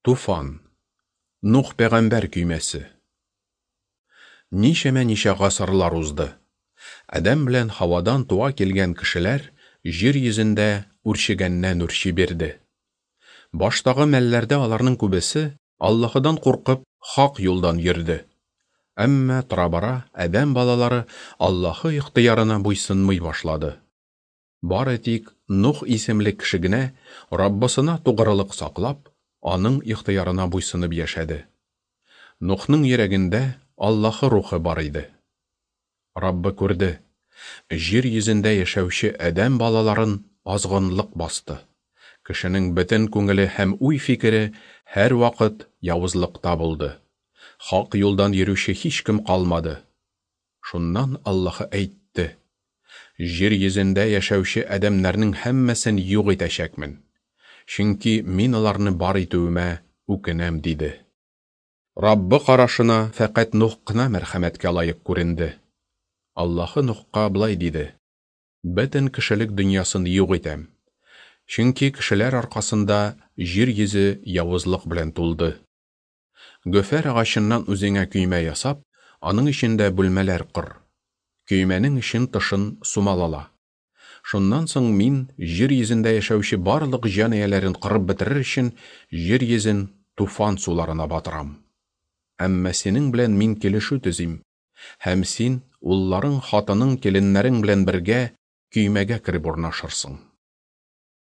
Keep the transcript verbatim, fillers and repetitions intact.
Туфан. Нух пәйгамбәр көймәсе. Ничәмә-ничә гасырлар узды. Адәм белән Һавадан туа килгән кешеләр җир йөзендә үрчегәннән-үрчи бирде. Баштагы мәлләрдә аларның күбесе, Аллаһыдан куркып, хак юлдан йөрде. Әмма тора-бара адәм балалары Аллаһы ихтыярына буйсынмый башлады. Бары тик Нух исемле кеше генә Раббысына тугрылык саклап, аның ихтыярына буйсынып яшәде. Нухның йөрәгендә Аллаһы рухы бар иде. Раббы күрде: җир йөзендә яшәүче адәм балаларын азгынлык басты. Кешенең бөтен күңеле һәм уй-фикере һәрвакыт явызлыкта булды. Хак юлдан йөрүче һичкем калмады. Шуннан Аллаһы әйтте: Җир йөзендә яшәүче адәмнәрнең һәммәсен юк итәчәкмен. Чөнки мин аларны бар итүемә үкенәм, диде. Раббы карашына фәкать Нух кына мәрхәмәткә лаек күренде. Аллаһы Нухка болай диде: Бөтен кешелек дөньясын юк итәм. Чөнки кешеләр аркасында җир йөзе явызлык белән тулды. Гөфәр агачыннан үзеңә көймә ясап, аның эчендә бүлмәләр кор. Көймәнең эчен тышын сумалала. Шуннан соң мин җир йөзендә яшәүче барлык җан ияләрен кырып бетерер өчен җир йөзен туфан суларына батырам. Әмма синең белән мин килешү төзим, һәм син улларың, хатының, киленнәрең белән бергә көймәгә кереп урнашырсың.